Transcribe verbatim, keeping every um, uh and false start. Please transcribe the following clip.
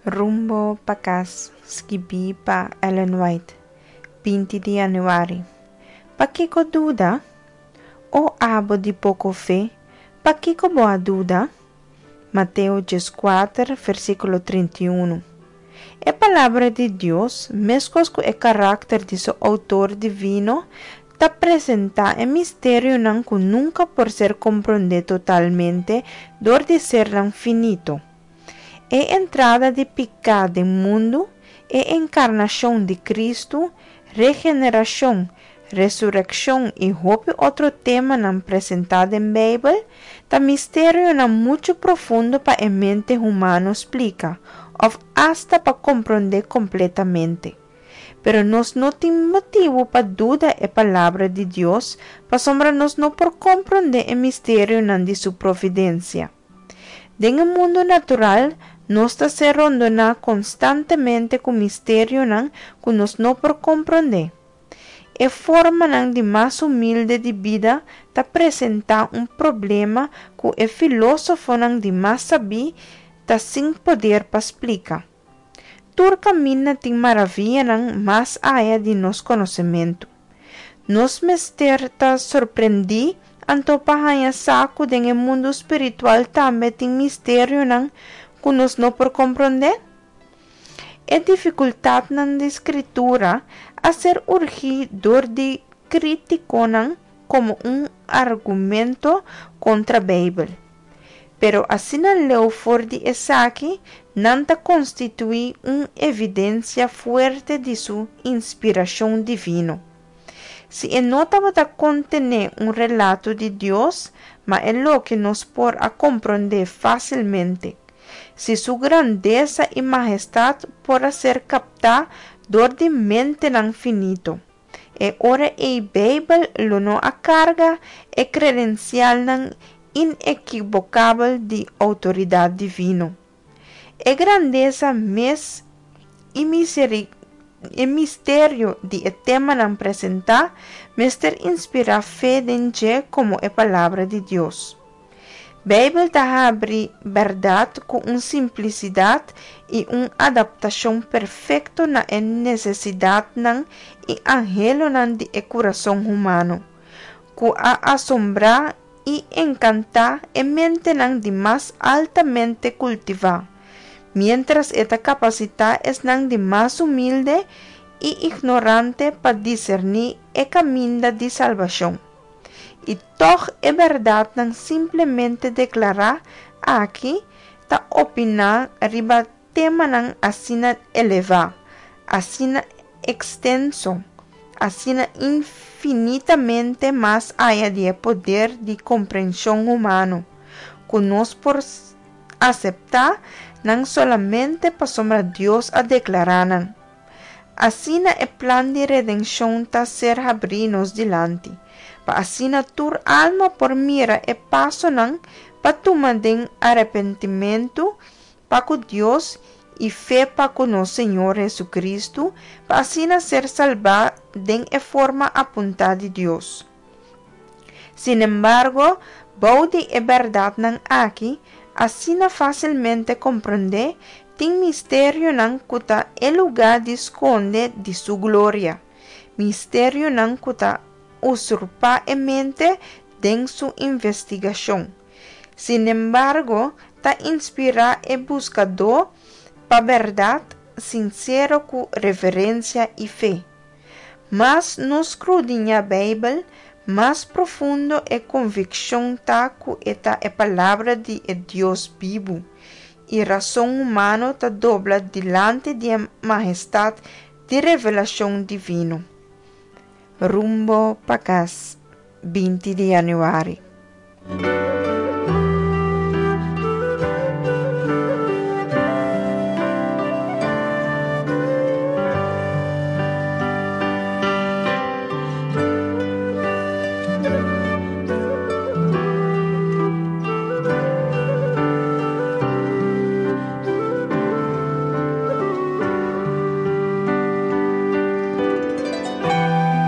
Rumbo pa Kas, skibí pa Ellen White, binti di yanüari. Pakiko duda? O abo di poko fe, pakiko bo a duda? Mateo dieskuater, versíkulo trinta i unu. E Palabra di Dios, meskos ku e karakter di su Outor divino, ta presentá e misterionan ku nunka por ser komprondé totalmente dor di sernan finito. E entrada di piká den mundu, e enkarnashon di Kristu, regenerashon, resurekshon i hopi otro temanan presentá den Beibel, ta misterionan muchu profundo pa e mente humano splika òf asta pa komprondé kompletamente. Pero nos no tin motibu pa duda e Palabra di Dios pasobra nos no por komprondé e misterionan di su providensia. Den e mundu natural nos ta ser rondoná konstantemente ku misterionan ku nos no por komprondé. E formanan di mas humilde di bida ta presentá un problema ku e filósofonan di mas sabí ta sin poder pa splika. Tur kaminda tin maravianan mas aya di nos konosementu. Nos mester ta sorprendí anto pa haña sa ku den e mundu spiritual tambe tin misterionan ku nos no por komprondé? E difikultatnan di Skritura a ser urgí dor di krítikonan komo un argumento kontra Beibel. Pero asina leu for di esaki, nan ta konstituí un evidensia fuerte di su inspirashon divino. Si e no tabata kontené un relato di Dios, ma e loke nos por a komprondé fásilmente, si su grandesa i mahestat por a ser kaptá dor di mentenan finito, e ora ei Beibel lo no a karga e kredensialnan inekibokabel di outoridat divino. E grandesa mes i e misterio di e temanan presentá mester inspirá fe den dje komo e Palabra di Dios. Beibel ta habri bèrdat ku un simplisidat i un adaptashon perfekto na e nesesidatnan i anhelonan di e kurason humano, ku a asombrá i enkantá e mentenan di mas altamente kultivá, miéntras e ta kapasitá esnan di mas humilde i ignorante pa diserní e kaminda di salbashon. I tòg e bèrdatnan simplemente deklará aki ta opiná riba temanan asina elevá, asina ekstenso, asina infinitamente mas aya di e poder di komprenshon humano, ku nos por aseptá nan solamente pasobra Dios a deklará nan. Asina e plan di redenshon ta ser habrí nos dilanti, pa asina tur alma por mira e pasonan pa tuma den arepentimentu pa ku Dios i fe pa ku nos Señor Jesucristo, pa asina ser salbá den e forma apuntá di Dios. Sinembargo, bou di e bèrdatnan aki, asina fásilmente komprondé, tin misterionan ku ta e lugá di skonde di su gloria, misterionan ku ta usurpá e mente den su investigashon. Sinembargo, ta inspirá e buskadó pa bèrdat sinsero ku reverensia i fe. Mas nos skrudiñá Beibel, mas profundo e konvikshon ta ku e ta e Palabra di e Dios bibu, i rason humano ta dobla dilanti di e mahestat di revelashon divino. Rumbo pa Kas, binti di yanüari.